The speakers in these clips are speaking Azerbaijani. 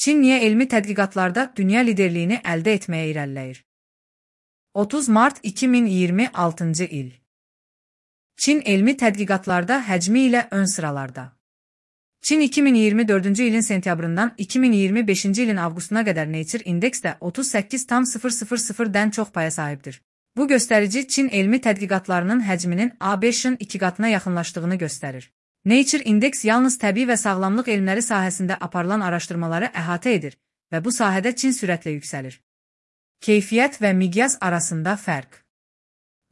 Çin niyə elmi tədqiqatlarda dünya liderliyini əldə etməyə irəliləyir? 30 mart 2026-cı il. Çin elmi tədqiqatlarda həcmi ilə ön sıralarda. Çin 2024-cü ilin sentyabrından 2025-ci ilin avqustuna qədər Nature indeksdə 38,000-dən çox paya sahibdir. Bu göstərici Çin elmi tədqiqatlarının həcminin ABŞ-ın 2 qatına yaxınlaşdığını göstərir. Nature indeks yalnız təbii və sağlamlıq elmləri sahəsində aparılan araşdırmaları əhatə edir və bu sahədə Çin sürətlə yüksəlir. Keyfiyyət və miqyas arasında fərq.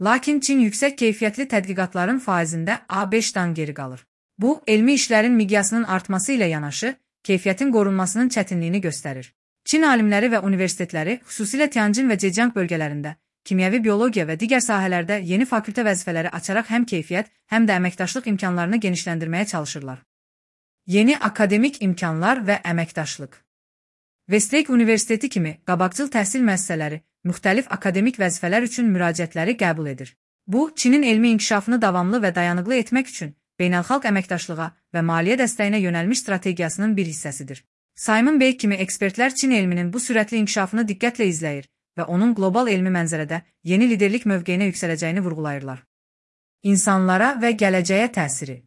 Lakin Çin yüksək keyfiyyətli tədqiqatların faizində ABŞ-dan geri qalır. Bu, elmi işlərin miqyasının artması ilə yanaşı, keyfiyyətin qorunmasının çətinliyini göstərir. Çin alimləri və universitetləri, xüsusilə Tianjin və Zhejiang bölgələrində, kimyəvi biologiya və digər sahələrdə yeni fakültə vəzifələri açaraq həm keyfiyyət, həm də əməkdaşlıq imkanlarını genişləndirməyə çalışırlar. Yeni akademik imkanlar və əməkdaşlıq. Westlake Universiteti kimi qabaqcıl təhsil müəssisələri müxtəlif akademik vəzifələr üçün müraciətləri qəbul edir. Bu, Çinin elmi inkişafını davamlı və dayanıqlı etmək üçün beynəlxalq əməkdaşlığa və maliyyə dəstəyinə yönəlmiş strategiyasının bir hissəsidir. Simon Bey kimi ekspertlər Çin elminin bu sürətli inkişafını diqqətlə izləyir və onun qlobal elmi mənzərədə yeni liderlik mövqeyinə yüksələcəyini vurğulayırlar. İnsanlara və gələcəyə təsiri.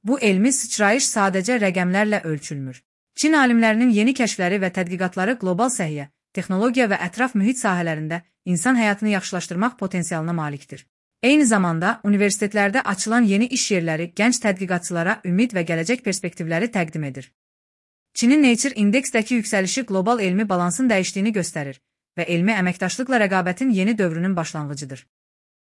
Bu elmi sıçrayış sadəcə rəqəmlərlə ölçülmür. Çin alimlərinin yeni kəşfləri və tədqiqatları qlobal səhiyyə, texnologiya və ətraf mühit sahələrində insan həyatını yaxşılaşdırmaq potensialına malikdir. Eyni zamanda, universitetlərdə açılan yeni iş yerləri gənc tədqiqatçılara ümid və gələcək perspektivləri təqdim edir. Çinin Nature indeksdəki yüksəlişi qlobal elmi balansın dəyişdiyini göstərir və elmi əməkdaşlıqla rəqabətin yeni dövrünün başlanğıcıdır.